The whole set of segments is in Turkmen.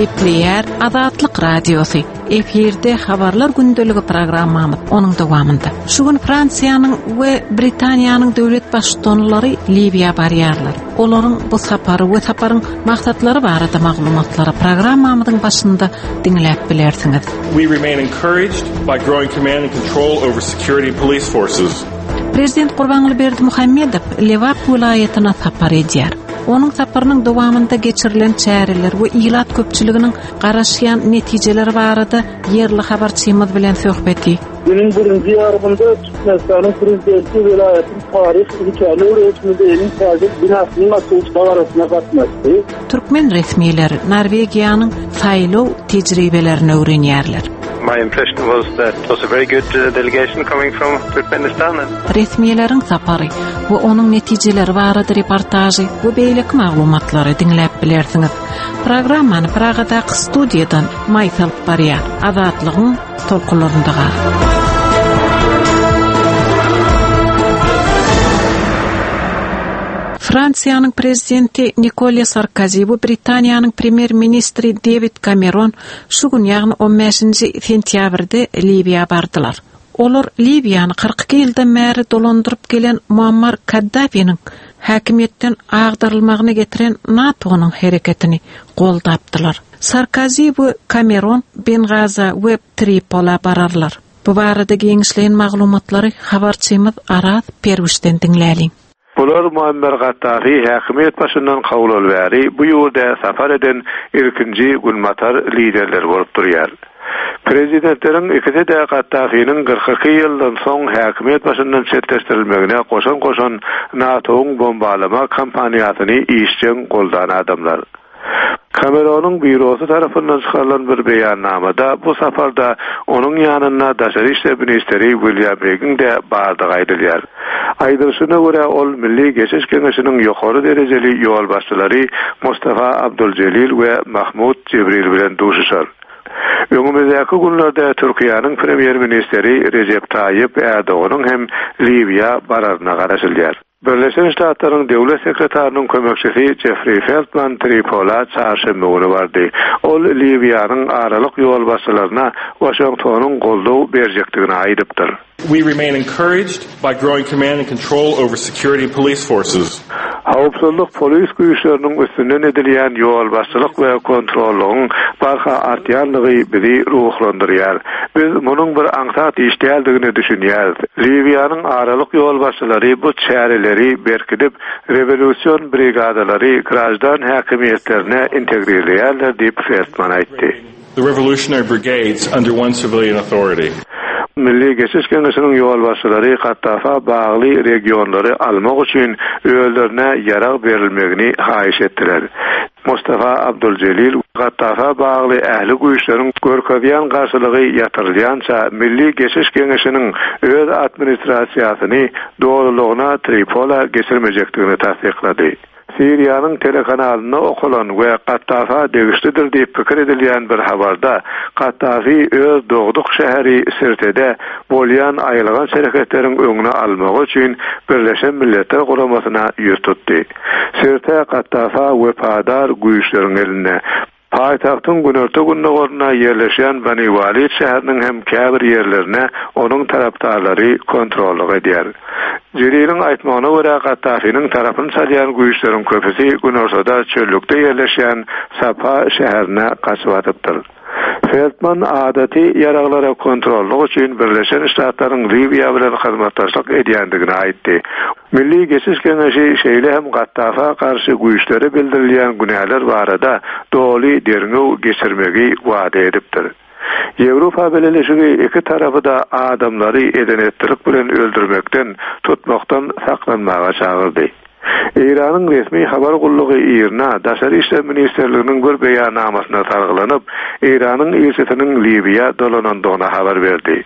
Gepleýär Azatlyk Radiosy. Efirde Habarlar gündeligi programmamyz onuň dowamynda. Şu gün Fransiýanyň we Britaniýanyň döwlet baştutanlary Liwiýa barýarlar. Olaryň bu sapary we saparyň maksatlary barada maglumatlary programmamyzyň başynda diňläp bilersiňiz. We remain encouraged by growing command and control over security and police forces. Prezident Gurbanguly Berdimuhamedow Lebap welaýatyna sapar edýär. Onuň saparynyň dowamynda geçirilen çäreler we ilat köpçüliginiň garaşýan netijeleri barada ýerli habarçymyz bilen söhbeti. Günüň birinji ýarymynda Türkmenistanyň Prezidenti welaýatyň Taryh ülkäni öwreniş muzeýiniň täze binasynyň açylyş dabarasyna gatnaşdy. Türkmen resmileri Norwegiýanyň saýlaw tejribelerini öwrenýärler. My impression was that it was a very good uh, delegation coming from Turkmenistan. Resmileriň sapary we onuň netijeleri barada reportažy we beýleki maglumatlary diňläp bilersiňiz. Programmany Pragadaky studiýadan Maýsa alyp barýar. Azatlygyň tolkunlarynda gal. Fransiýanyň prezidenti Nikolýa Sarkozi we Britaniýanyň premýer-ministri Dewid Kameron şu gün, ýagny on bäşinji sentýabrda Liwiýa bardylar. Olar Liwiýany 42 ýyldan bäri dolandyryp gelen Muammar Kaddafiniň häkimiýetden agdarylmagyna getiren NATO-nyň hereketini goldapdylar. Sarkozi we Kameron Bengaza we Tripola bararlar. Bu barada giňişleýin maglumatlary habarçymyz Araz Perwişden diňläliň. Bular Muammer Gaddafi häkimiýet başyndan kowlaly bäri bu ýurda sapar eden ilkinji günbatar liderleri bolup durýar. Prezidentleriň ikisi-de Gaddafiniň 42 ýyldan soň häkimiýet başyndan çetleşdirilmegine goşant goşan NATO-yň bombalama kampaniýasyny işjeň goldan adamlar. Kameronyň býurosy tarapyndan çykarylan bir beýannamada bu saparda onuň ýanynda daşary işler ministri Wilýam Hegiň-de bardygy aýdylýar. Aýdylyşyna görä, ol Milli geçiş geňeşiniň ýokary derejeli ýolbaşçylary Mustafa Abduljelil we Mahmud Jibril bilen duşuşar. Öňümizdäki günlerde Türkiýäniň premýer-ministri Rejep Taýyp Ärdoganyň hem Liwiýa bararyna garaşylýar. Birleşen Ştatlaryň Döwlet sekretarynyň kömekçisi Jeffri Feltman Tripola çarşenbe güni bardy. Ol Liwiýanyň aralyk ýolbaşçylaryna Waşingtonyň goldaw berjekdigini aýdypdyr. We remain encouraged by growing command and control over security and police forces. Howpsuzlyk polis güýçleriniň üstünden edilýän ýolbaşçylyk we kontrollygyň barha artýandygy bizi ruhlandyrýar. Biz munuň bir aňsat iş däldigine düşünýäris. Liwiýanyň aralyk ýolbaşçylary bu çäreleri berkidip, rewolýusion brigadalary graždan häkimiýetlerine integrirleýärler diýip, Feltman aýtdy. The Revolutionary Brigades under one civilian authority. Milli geçiş geňeşiniň ýolbaşçylary Kaddafa bagly regionlary almak üçin özlerine ýarag berilmegini haýyş etdiler. Mustafa Abduljelil Kaddafa bagly ähli güýçleriň görkezýän garşylygy ýatyrylýança Milli geçiş geňeşiniň öz administrasiýasyny dolulygyna Tripola geçirmejekdigini tassyklady. Siriýanyň telekanalynda okalan we Kaddafa degişlidir diýip pikir edilýän bir habarda, Kaddafi öz dogduk şäheri Sirtede bolýan aýylganç hereketleriň öňüni almagy üçin Birleşen Milletler Guramasyna ýüz tutdy. Sirte Kaddafa wepadar güýçleriň elinde. Paýtagtyň günorta-gündogarynda ýerleşýän Bani Walid şäheriniň hem käbir ýerlerine onuň tarapdarlary kontrollyk edýär. Jeliliň aýtmagyna görä, Kaddafiniň tarapyny çalýan güýçleriň köpüsi günortada çöllükde ýerleşýän Sabha şäherine gaçyp atypdyr. Feltman adaty ýaraglara kontrollyk üçin Birleşen Ştatlaryň Liwiýa bilen hyzmatdaşlyk edýändigini aýtdy. Milli geçiş geňeşi şeýle hem Kaddafa garşy güýçlere bildirilýän günäler barada doly derňew geçirmegi wada edipdir. Ýewropa Bileleşigi iki tarapy-da adamlary eden-etdilik bilen öldürmekden, tutmakdan saklanmaga çagyrdy. Eýranyň resmi habar gullugy IRNA Daşary işler ministrliginiň bir beýannamasyna salgylanyp, Eýranyň ilçisiniň Liwiýa dolanandygyny habar berdi.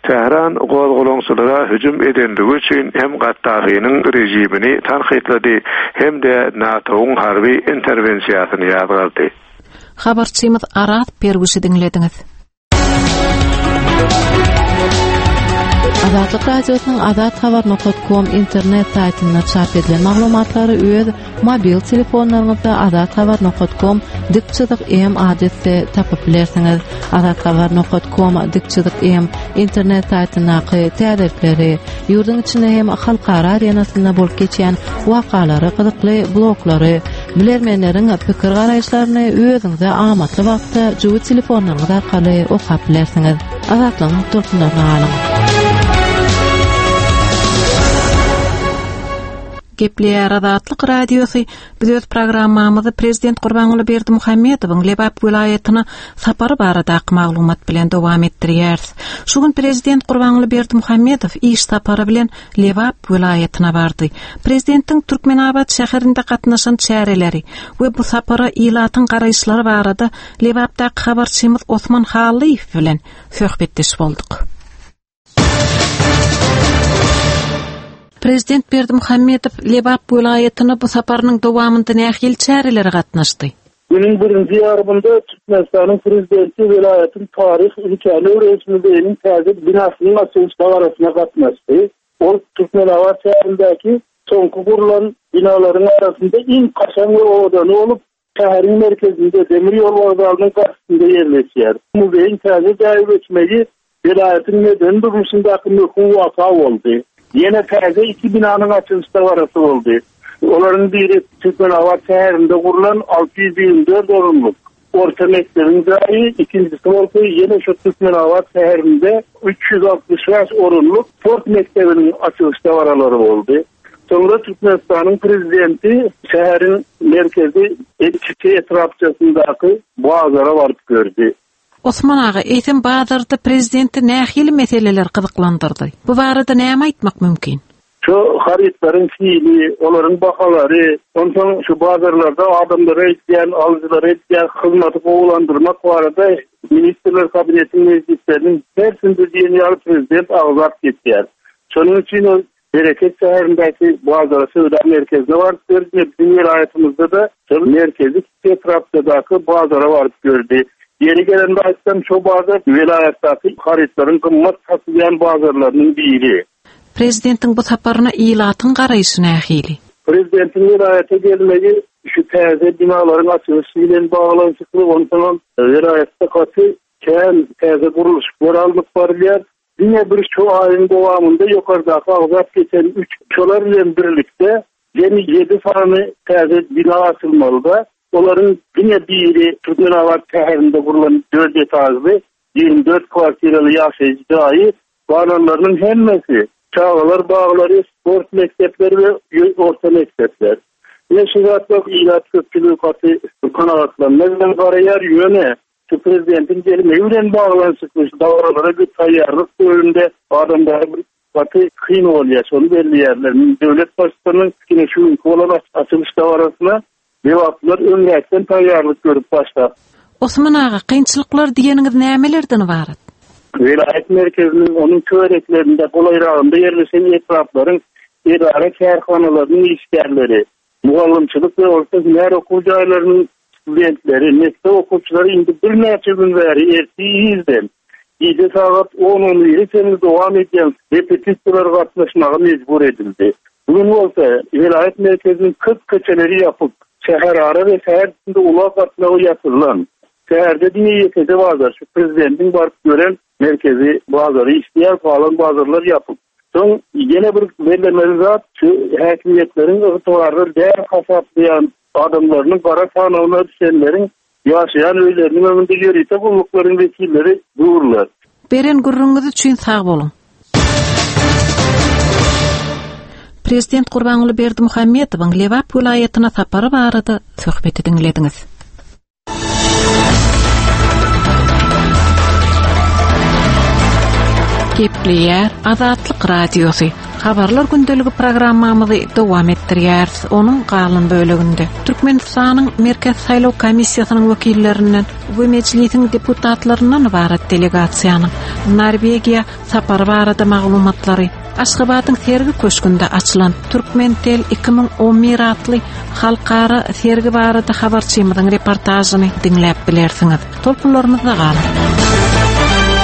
Tähran gozgalaňçylara hüjüm edendigi üçin hem Gaddafiniň režimini tankytlady, hem-de NATO-yň harby interwensiýasyny ýazgardy. Habarçymyz Araz Perwişi diňlediňiz. Azatlyk Radiosynyň Azat Habar nokat kom internet saýtynda çap edilen maglumatlary öz mobil telefonlaryňyzda Azat Habar nokat kom dik çyzyk M adresde tapyp bilersiňiz. Azat Habar nokat kom dik çyzyk M internet saýtyndaky täzelikleri, ýurduň içinde hem halkara arenasynda bolup geçýän wakalary, gyzykly bloglary, bilermenleriň pikir-garaýyşlaryny özüňize amatly wagtda jübi telefonlaryňyz arkaly okap bilersiňiz. Azatlygyň tolkunlaryna galyň. Gepleýär Azatlyk Radiosy. Biz öz programmamyzy Prezident Gurbanguly Berdimuhamedowyň Lebap welaýatyna sapary baradaky maglumat bilen dowam etdirýäris. Şu gün Prezident Gurbanguly Berdimuhamedow iş sapary bilen Lebap welaýatyna bardy. Prezidentiň Türkmenabat şäherinde gatnaşan çäreleri we bu sapara ilatyň garaýyşlary barada Lebapdaky habarçymyz Osman Hallyýew bilen söhbetdeş bolduk. Prezident Berdimuhamedow Lebap welaýatyna bu saparynyň dowamynda nähili çärelere gatnaşdy? Günüň birinji ýarymynda Türkmenistanyň Prezidenti welaýatyň Taryh ülkäni öwreniş muzeýiniň täze binasynyň açylyş dabarasyna gatnaşdy. Ol Türkmenabat şäherindäki soňky gurlan binalaryň arasynda iň kaşaň we owadany bolup, Şäheriň merkezinde, demir ýol wokzalynyň garşysynda ýerleşýär. Muzeýiň täze jaýa göçmegi welaýatyň medeni durmuşyndaky möhüm waka boldy. Ýene täze iki binanyň açylyş dabarasy boldy. Olaryň biri Türkmenabat şäherinde gurlan 624 orunlyk orta mekdebiň jaýy, ikinjisi bolsa ýene şu Türkmenabat şäherinde 365 orunlyk sport mekdebiniň açylyş dabaralary boldy. Soňra Türkmenistanyň Prezidenti şäheriň merkezi Kiçi etrapçasyndaky bazara baryp gördi. Osman aga, eýsem bazarda prezidenti nähili meseleler gyzyklandyrdy? Bu barada näme aýtmak mümkin? Şu harytlaryň hili, olaryň bahalary, onsoň şu bazarlarda adamlara edýän, alyjylara edýän hyzmaty gowulandyrmak barada Ministrler Kabinetiniň mejlisleriniň hersinde diýen ýaly prezident agzap geçýär. Şonuň üçin ol Bereket şäherindäki bazara söwda merkezine baryp gördi we biziň welaýatymyzda-da şol merkezi kiçi etrapçadaky bazara baryp gördi. Ýeri gelende aýtsam, şo bazar welaýatdaky harytlaryň gymmat satylýan bazarlarynyň biri. Prezidentiň bu saparyna ilatyň garaýşy nähili? Prezidentiň welaýata gelmegi şu täze binalaryň açylyşy bilen baglanyşykly, onsoňam welaýatda gaty kän täze gurluşyklar alnyp barylýar. Diňe bir şu aýyň dowamynda ýokardaky agzap geçen üç şolar bilen birlikde jemi ýedi sany täze bina açylmalyda. Olaryň diňe biri Türkmenabat şäherinde gurlan dört etažly, 24 kwartiraly ýaşaýyş jaýy, galanlarynyň hemmesi çagalar baglary, sport mekdepleri we orta mekdepler. Ine şu zatlar ilat köpçüligi gaty kanagatlanma bilen garaýar, ýöne Şu prezidentiň gelmegi bilen baglanyşykly şu dabaralara bir taýýarlyk döwründe adamlara bir gaty kyn bolýar, şony belleýärler. Döwlet baştutanynyň ine şu günki bolan açylyş dabarasyna lebaplylar öňräkden taýýarlyk görüp başlap. Osman aga, kynçylyklar diýeniňiz nämelerden ybarat? Welaýat merkeziniň, onuň töwereklerinde, golaýragynda ýerleşen etraplaryň edara-kärhanalarynyň işgärleri, Mugallymçylyk we orta hünär okuw jaýlarynyň studentleri, mekdep okuwçylary indi birnäçe gün bäri ertir irden, gije sagat on-on bire çenli dowam edýän repetisiýalara gatnaşmaga mejbur edildi. Bu gün bolsa, welaýat merkeziniň köp köçeleri ýapyk, şäherara we şäher içinde ulag gatnawy ýatyrylan. Şäherde diňe ýekeje bazar, şu prezidentiň baryp gören merkezi bazary işleýär, galan bazarlar ýapyk. Soň ýene bir bellemeli zat, şu häkimiýetleriň ygtybarly däl hasaplaýan adamlarynyň gara sanawyna düşenleriň ýaşaýan öýleriniň öňünde ýörite gulluklaryň wekilleri durlar. Beren gürrüňiňiz üçin sag boluň. Prezident Gurbanguly Berdimuhamedowyň Lebap welaýatyna sapary barada söhbeti diňlediňiz. Gepleýär Azatlyk Radiosy. Habarlar gündeligi programmamyzy dowam etdirýäris. Onuň galan böleginde Türkmenistanyň Merkezi saýlaw komissiýasynyň wekillerinden we Mejlisiň deputatlaryndan ybarat delegasiýanyň Norwegiýa sapary barada maglumatlary, Aşgabadyň Sergi köşgünde açylan Türkmentel 2011 atly halkara sergi barada habarçymyzyň reportažyny diňläp bilersiňiz. Tolkunlarymyzda galyň.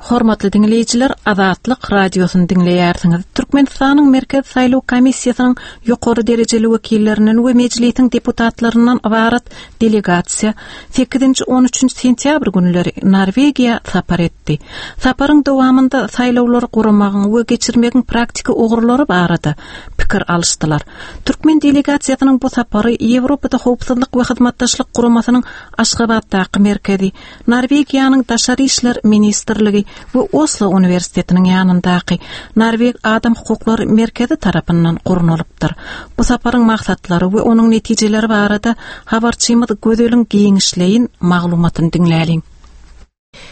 Hormatly diňleýjiler, Azatlyk Radiosyny diňleýärsiňiz. Türkmenistanyň Merkezi saýlaw komissiýasynyň ýokary derejeli wekillerinden we Mejlisiň deputatlaryndan ybarat delegasiýa sekizinji, on üçünji sentýabr günleri Norwegiýa sapar etdi. Saparyň dowamynda saýlawlary guramagyň we geçirmegiň praktiki ugurlary barada pikir alyşdylar. Türkmen delegasiýasynyň bu sapary Ýewropada Howpsuzlyk we Hyzmatdaşlyk Guramasynyň Aşgabatdaky merkezi, Norwegiýanyň Daşary işler ministrligi we Oslo uniwersitetiniň ýanyndaky Norweg adam hukuklary merkezi tarapyndan gurnalypdyr. Bu saparyň maksatlary we onuň netijeleri barada habarçymyz Gözeliň giňişleýin maglumatyny diňläliň.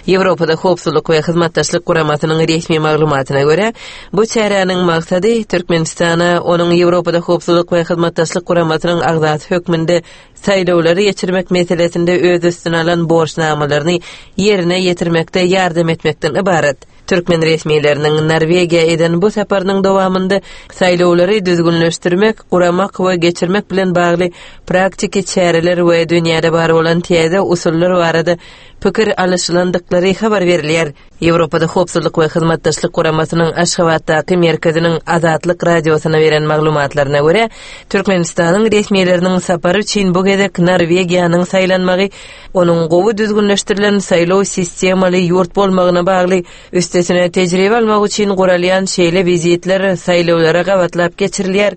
Ýewropada Howpsuzlyk we Hyzmatdaşlyk Guramasynyň resmi maglumatyna görä, bu çäräniň maksady Türkmenistana onuň Ýewropada Howpsuzlyk we Hyzmatdaşlyk Guramasynyň agzasy hökmünde saýlawlary geçirmek meselesinde öz üstüne alan borçnamalaryny ýerine ýetirmekde ýardam etmekden ybarat. Türkmen resmileriniň Norwegiýa eden bu saparynyň dowamynda saýlawlary düzgünleşdirmek, guramak we geçirmek bilen bagly praktiki çäreler we dünýäde bar bolan täze usullar barada pikir alyşylandyklary habar berilýär. Ýewropada Howpsuzlyk we Hyzmatdaşlyk Guramasynyň Aşgabatdaky merkeziniň Azatlyk Radiosyna beren maglumatlaryna görä, Türkmenistanyň resmileriniň sapary üçin bu gezek Norwegiýanyň saýlanmagy onuň gowy düzgünleşdirilen saýlaw sistemaly ýurt bolmagyna bagly, üstesine tejribe almak üçin guralýan şeýle wizitler saýlawlara gabatlap geçirilýär.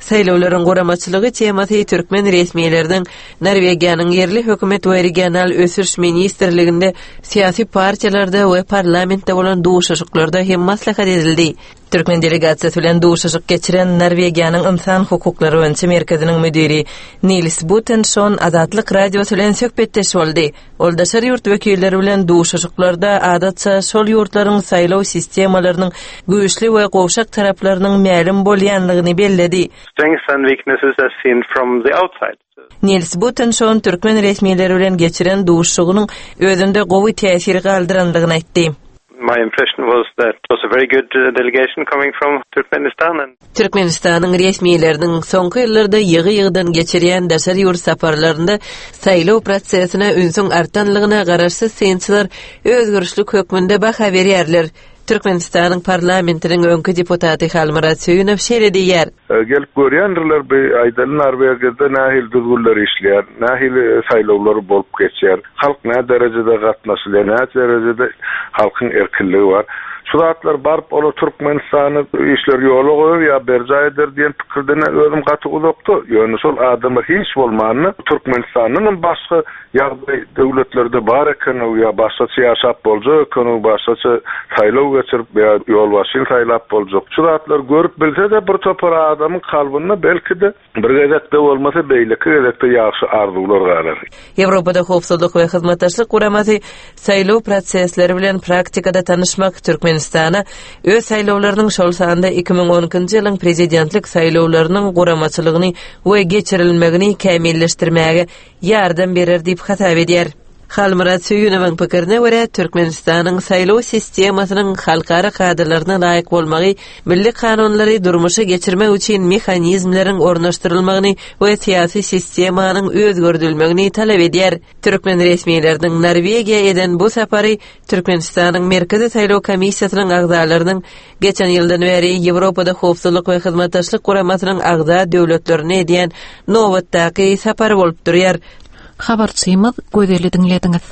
Saýlawlaryň guramaçylygy temasy türkmen resmileriniň Norwegiýanyň ýerli hökümet we regional ösüş ministrliginde, syýasy partiýalarda we parlamentde bolan duşuşyklarda hem maslahat edildi. Türkmen delegasiýasy bilen duşuşyk geçiren Norwegiýanyň Ynsan hukuklary boýunça merkeziniň müdiri Nils Butenşon Azatlyk Radiosy bilen söhbetdeş boldy. Ol daşary ýurt wekilleri bilen duşuşyklarda adatça şol ýurtlaryň saýlaw sistemalarynyň güýçli we gowşak taraplarynyň mälim bolýanlygyny belledi. Strengths and weaknesses as seen from the outside. Nils Butenşon türkmen resmileri bilen geçiren duşuşygynyň özünde gowy täsir galdyrandygyny aýtdy. My impression was that it was a very good delegation coming from Turkmenistan and. Türkmenistanyň resmileriniň soňky ýyllarda ýygy-ýygydan geçirýän daşary ýurt saparlarynda saýlaw prosesine ünsüň artanlygyna garaşsyz synçylar özgerişlik hökmünde baha berýärler. Türkmenistanyň parlamentiniň öňki deputaty Halmyrat Söýünow şeýle diýýär. Gelip görýändirler bi aýdaly Norwegiýada nähili düzgünler işleýär, nähili saýlawlar bolup geçýär, halk nä derejede gatnaşylýar, nä derejede halkyň erkinligi bar. Şu zatlar baryp olar Türkmenistanda işleri ýola goýar ýa berjaý eder diýen pikirden özüm gaty uzakda. Ýöne şol adamlar hiç bolmanda Türkmenistandanam başga ýagdaý döwletlerde bar ekenow ýa başgaça ýaşap boljak ekenow, başgaça saýlaw geçirip ýa ýolbaşçyny saýlap boljak. Şu zatlary görüp bilse-de bir topar adamyň kalbynda belki-de Bir gezekde bolmasa, beýleki gezekde ýagşy arzuwlar galar. Ýewropada Howpsuzlyk we Hyzmatdaşlyk Guramasy saýlaw prosesleri bilen praktikada tanyşmak Türkmenistana öz saýlawlarynyň, şol sanda 2012-nji ýylyň prezidentlik saýlawlarynyň guramaçylygyny we geçirilmegini kämilleşdirmäge ýardam berer diýip hasap edýär. Halmyrat Söýünowyň pikirine görä, Türkmenistanyň saýlaw sistemasynyň halkara kadalaryna laýyk bolmagy milli kanunlary durmuşa geçirmek üçin mehanizmleriň ornaşdyrylmagyny we syýasy sistemanyň özgerdilmegini talap edýär. Türkmen resmileriniň Norwegiýa eden bu sapary Türkmenistanyň Merkezi saýlaw komissiýasynyň agzalarynyň geçen ýyldan bäri Ýewropada Howpsuzlyk we Hyzmatdaşlyk Guramasynyň agza döwletlerine edýän nobatdaky sapary bolup durýar. Habarçymyz Gözeli diňlediňiz.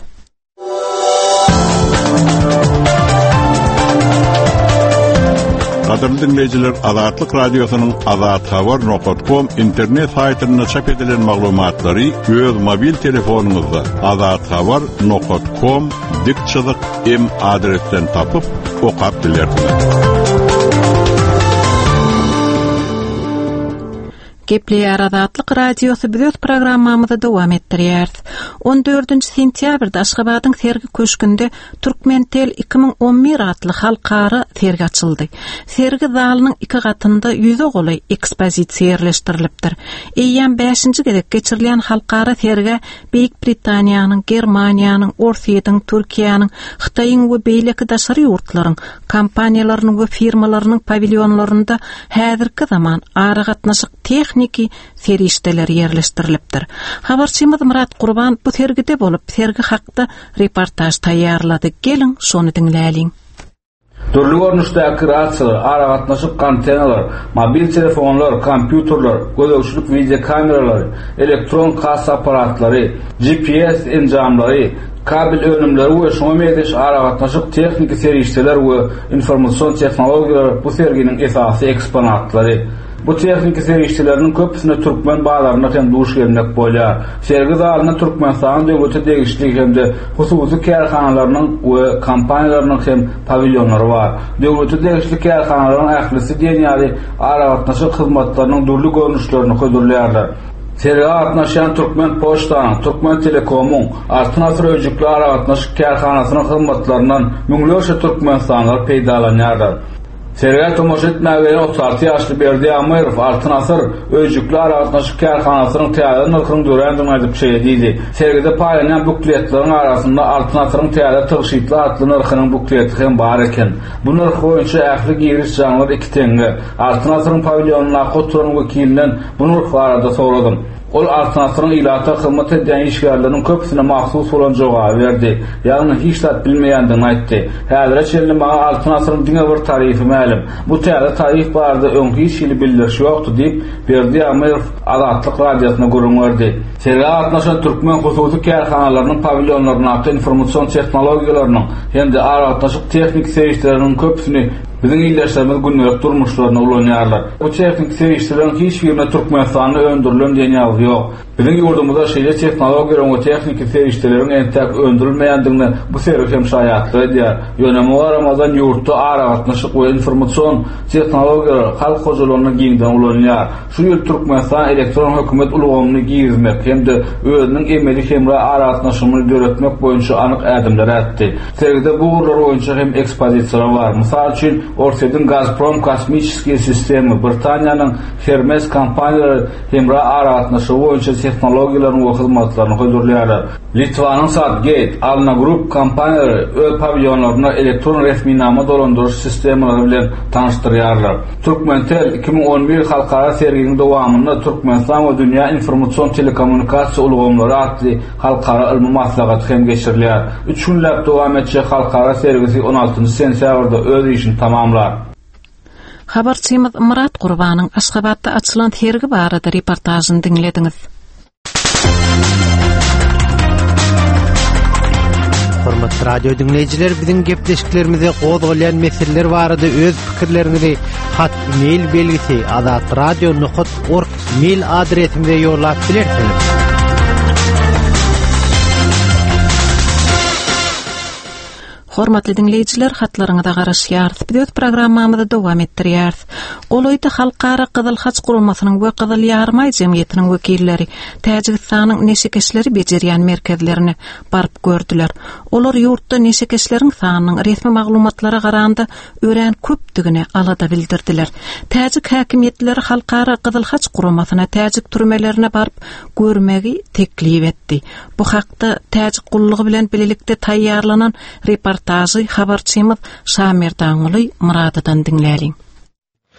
Gadyrly diňleýjiler, Azatlyk Radiosynyň Azat Habar nokat kom internet saýtynda çap edilen maglumatlary öz mobil telefonyňyzda Azat Habar nokat kom dik çyzyk m adresden tapyp okap bilersiňiz. Gepleýär Azatlyk Radiosy biz öz programmamyzy dowam etdirýäris. On dördünji sentýabrda Aşgabadyň Sergi köşgünde Türkmentel 2011 atly halkara sergi açyldy. Sergi zalynyň iki gatynda ýüze golaý ekspozisiýa ýerleşdirilipdir. Eýýäm bäşinji gezek geçirilýän halkara sergä Beýik Britaniýanyň, Germaniýanyň, Orsýetiň, Türkiýäniň, Hytaýyň we beýleki daşary ýurtlaryň kompaniýalarynyň we firmalarynyň pawilýonlarynda häzirki zaman aragatnaşyk tehniki serişdeleri ýerleşdirilipdir. Habarçymyz Myrat Gurban bu sergide bolup, sergi hakda reportaž taýýarlady. Geliň, şony diňläliň. Dürli görnüşdäki rasiýalar, aragatnaşyk antennalar, mobil telefonlar, kompýuterler, gözegçilik wideokameralary, elektron kassa apparatlary, GPS enjamlary, kabel önümleri we şuňa meňzeş aragatnaşyk tehniki serişdeler we informasion tehnologiýalar bu serginiň esasy eksponatlary. Bu tehniki serişdeleriniň köpüsine türkmen bazarynda hem duş gelmek bolýar. Sergi zalynda Türkmenistanyň döwlete degişli hem-de hususy kärhanalarynyň we kompaniýalarynyň hem pawilýonlary bar. Döwlete degişli kärhanalaryň ählisi diýen ýaly aragatnaşyk hyzmatlarynyň dürli görnüşlerini hödürleýärler. Sergä gatnaşýan Türkmenpoçtanyň, Türkmentelekomyň, Altyn asyr öýjükli aragatnaşyk kärhanasynyň hyzmatlaryndan müňlerçe türkmenistanlylar peýdalanýarlar. Sergä tomaşa etmäge gelen 36 ýaşly Berdi Ýagmyrow Altyn asyr öýjükli aragatnaşyk kärhanasynyň täze nyrhynyň dörändigini aýdyp şeýle diýdi, Sergide paýlanýan bukletleriň arasynda Altyn asyryň täze tygşytly atly nyrhynyň bukleti hem bar eken. Bu nyrh boýunça ähli giriş jaňlar iki teňňe. Altyn asyryň pawilýonyndaky oturan wekilinden bu nyrh barada soradym. Ol Altyn asyryň ilata hyzmat edýän işgärleriniň köpüsine mahsus bolan jogaby berdi. Ýagny hiç zat bilmeýändigini aýtdy. Häzire çenli maňa Altyn asyryň diňe bir tarifi mälim. Bu täze tarif barada öň hiç hili bildiriş ýokdy diýip, Berdi Ýagmyrow Azatlyk Radiosyna gürrüň berdi. Sergä gatnaşan türkmen hususy kärhanalarynyň pawilýonlaryndaky informasion tehnologiýalarynyň hem-de aragatnaşyk tehniki serişdeleriniň köpüsini Biziň ildeşlerimiz gündelik durmuşlarynda ulanýarlar. Bu tehniki serişdeleriň hiç birinde Türkmenistanda öndürilen diýen ýazgy ýok. Biziň ýurdumyzda şeýle tehnologiýalaryň we tehniki serişdeleriň entäk öndürilmeýändigine bu sergi hem şaýatlyk edýär. Ýöne muňa garamazdan ýurtda aragatnaşyk we informasion tehnologiýalar halk hojalygynda giňden ulanylýar. Şu ýyl Türkmenistan elektron hökümet ulgamyny girizmek hem-de özüniň emeli hemra aragatnaşygyny döretmek boýunça anyk ädimler ätdi. Sergide bu ugurlar boýunça hem ekspozisiýalar bar. Mysal üçin, Orsýetiň Gazprom kosmiçeskiýe sistemy, Britaniýanyň Hermes kompaniýalary hemra aragatnaşygy boýunça tehnologiýalaryny we hyzmatlaryny hödürleýärler. Litwanyň Satgate, Alna Group kompaniýalary öz pawilýonlarynda elektron resminama dolandyryş sistemalary bilen tanyşdyrýarlar. Turkmentel 2011 halkara serginiň dowamynda Türkmenistan we dünýä informasion telekommunikasiýa ulgamlary atly halkara ylmy maslahaty hem geçirilýär. Üç günläp dowam etjek halkara sergisi on altynjy sentýabrda öz işini tamamlar. Habarçymyz Myrat Gurbanyň Aşgabatda açylan sergi barada reportažyny diňlediňiz. Hormatly radio diňleýjiler, biziň gepleşiklerimize gozgalýan meseleler barada öz pikirleriňizi hat mail belgisi azatradio.org mail adresimize ýollap bilersiňiz. Hormatly diňleýjiler, hatlaryňyza garaşýarys. Biz öz programmamyzy dowam etdirýäris. Golaýda Halkara Gyzyl Haç Guramasynyň we Gyzyl Ýarymaý jemgyýetiniň wekilleri Täjigistanyň neşekeşleri bejerýän merkezlerine baryp gördüler. Olar ýurtda neşekeşleriň sanynyň resmi maglumatlara garanda örän köpdügine alada bildirdiler. Täjik häkimiýetleri Halkara Gyzyl Haç Guramasyna täjik türmelerine baryp görmegi teklip etdi. Bu hakda Täjik gullugy bilen bilelikde taýýarlanan reportažy habarçymyz Şamerdanguly Myradodan diňläliň.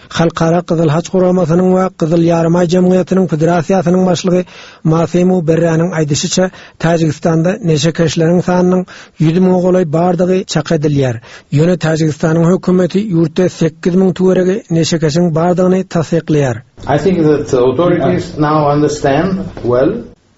Halkara Gyzyl Haç Guramasynyň we Gyzyl Ýarymaý jemgyýetiniň Federasiýasynyň başlygy Masimo Berräniň aýdyşyça, Täjigistanda neşekeşleriň sanynyň 100 müňe golaý bardygy çak edilýär. Ýöne Täjigistanyň hökümeti ýurtda 8000 töweregi neşekeşiň bardygyny tassyklaýar. I think that authorities now understand well.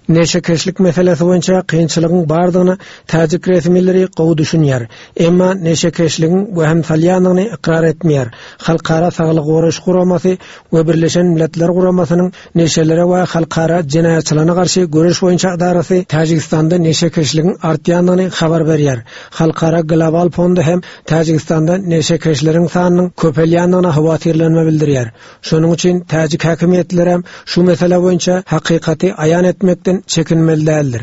Neşekeşlik meselesi boýunça kynçylygyň bardygyna täjik resmileri gowy düşünýär. Emma neşekeşligiň wehim salýandygyny ykrar etmeýär. Halkara Saglygy goraýyş guramasy we Birleşen Milletler Guramasynyň neşelere we halkara jenaýatçylygyna garşy göreş boýunça edarasy Täjigistanda neşekeşligiň artýandygyny habar berýär. Halkara Global fondy hem Täjigistanda neşekeşleriň sanynyň köpelýändigine howatyrlanma bildirýär. Şonuň üçin täjik häkimiýetlerem şu mesele boýunça hakykaty aýan etmekden çekinmeli däldir.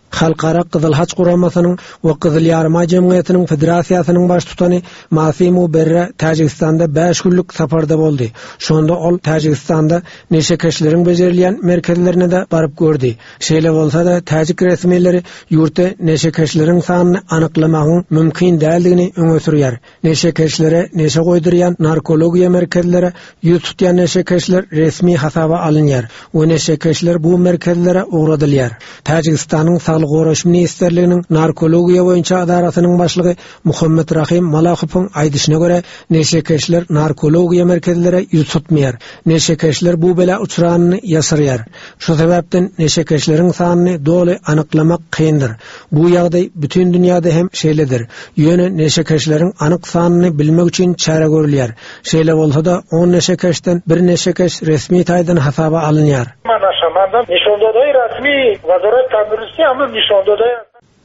Halkara Gyzyl Haç Guramasynyň we Gyzyl Ýarymaý jemgyýetiniň Federasiýasynyň baştutany Masimo Berre Täjigistanda bäş günlük saparda boldy. Şonda ol Täjigistanda neşekeşleriň bejerilýän merkezlerine-de baryp gördi. Şeýle bolsa-da, täjik resmileri ýurtda neşekeşleriň sanyny anyklamagyň mümkin däldigini öňe sürýär. Neşekeşlere neşe goýdurýan narkologiýa merkezlere ýüz tutýan neşekeşler resmi hasaba alynýar we neşekeşler bu merkezlere ugradylýar. Täjigistanyň Saglygy. Saglygy goraýyş ministrliginiň Narkologiýa boýunça edarasynyň başlygy Muhammet Rahym Malahowyň aýdyşyna görä, neşekeşler narkologiýa merkezlere ýüz tutmaýar. Neşekeşler bu bela uçranyny ýaşyrýar. Şu sebäpden neşekeşleriň sanyny doly anyklamak kyndyr. Bu ýagdaý bütin dünýäde hem şeýledir. Ýöne neşekeşleriň anyk sanyny bilmek üçin çäre görülýär. Şeýle bolsa-da, on neşekeşden bir neşekeş resmi taýdan hasaba alynýar.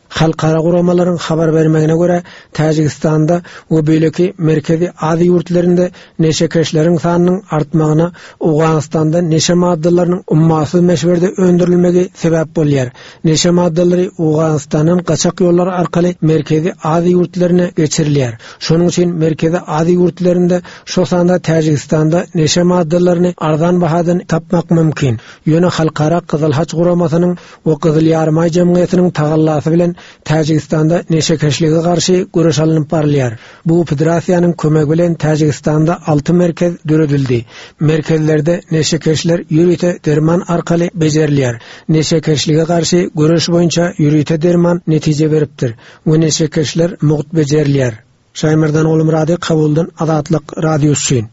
Halkara guramalaryň habar bermegine görä, Täjigistanda we beýleki Merkezi Aziýa ýurtlarynda neşekeşleriň sanynyň artmagyna Owganystanda neşe maddalarynyň ummasyz möçberde öndürilmegi sebäp bolýar. Neşe maddalary Owganystandan gaçak ýollar arkaly Merkezi Aziýa ýurtlaryna geçirilýär. Şonuň üçin Merkezi Aziýa ýurtlarynda, şol sanda Täjigistanda neşe maddalaryny arzan bahadan tapmak mümkin. Ýöne Halkara Gyzyl Haç guramasynyň we Gyzyl Ýarymaý jemgyýetiniň tagallasy bilen Täjigistanda neşekeşlige garşy göreş alnyp barylýar. Bu federasiýanyň kömegi bilen Täjigistanda alty merkez döredildi. Merkezlerde neşekeşler ýörite derman arkaly bejerilýär. Neşekeşlige garşy göreş boýunça ýörite derman netije beripdir we neşekeşler mugt bejerilýär. Şaýmerdan Ogulmyrady Kabuldan Azatlyk Radiosy üçin.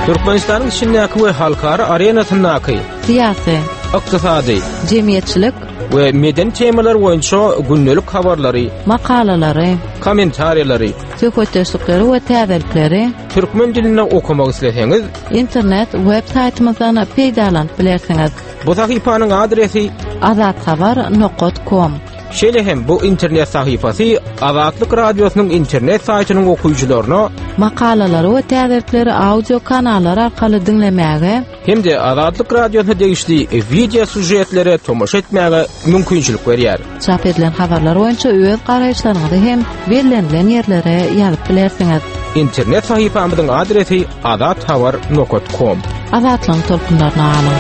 Türkmenistanyň içindäki we halkara arenasyndaky syýasy, ykdysady, jemgyýetçilik we medeni temalar boýunça gündelik habarlary, makalalary, kommentariýalary, söhbetdeşlikleri we täzelikleri türkmen dilinde okamak isleseňiz, internet web saýtymyzdan peýdalanyp bilersiňiz. Bu sahypanyň adresi azathabar nokat kom. Şeýle hem bu internet sahypasy Azatlyk Radiosynyň internet saýtynyň okyjylaryna makalalary we täzelikleri audio kanallar arkaly diňlemäge hem-de Azatlyk Radiosyna degişli wideo sýužetlere tomaşa etmäge mümkinçilik berýär. Çap edilen habarlar boýunça öz garaýyşlaryňyzy hem bellenilen ýerlere ýazyp bilersiňiz. Internet sahypamyzyň adresi azathabar nokat kom. Azatlygyň tolkunlaryna galyň!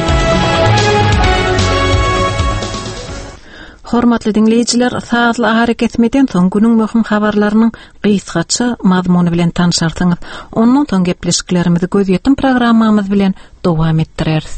Hormatly diňleýjiler, sazly arakesmeden soň günüň möhüm habarlarynyň gysgaça mazmuny bilen tanşarsyňyz. Ondan soň gepleşiklerimizi gözýetim programmamyz bilen dowam etdireris.